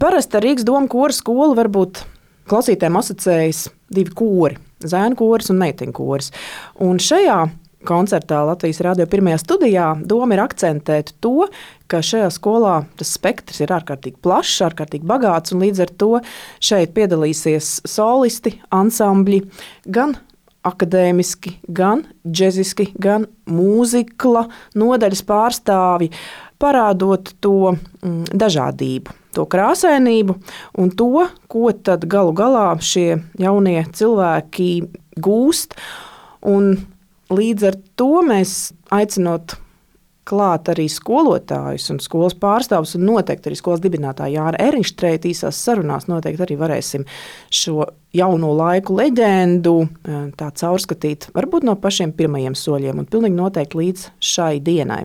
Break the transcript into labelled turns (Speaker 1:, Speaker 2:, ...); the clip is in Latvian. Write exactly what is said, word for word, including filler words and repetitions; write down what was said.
Speaker 1: Parasti ar Rīgas domu kora skolu varbūt klausītājiem asociējas divi kori – zēnu koris un meiteņu koris. Un šajā koncertā Latvijas radio pirmajā studijā doma ir akcentēt to, ka šajā skolā tas spektrs ir ārkārtīgi plašs, ārkārtīgi bagāts, un līdz ar to šeit piedalīsies solisti, ansambļi, gan akadēmiski, gan džeziski, gan mūzikla nodaļas pārstāvi, parādot to mm, dažādību, to krāsainību un to, ko tad galu galā šie jaunie cilvēki gūst. Un līdz ar to mēs aicinot klāt arī skolotājus un skolas pārstāvus un noteikti arī skolas dibinātāju Jāra Erinštreita īsās sarunās noteikti arī varēsim šo jauno laiku leģendu tā caurskatīt, varbūt no pašiem pirmajiem soļiem un pilnīgi noteikti līdz šai dienai.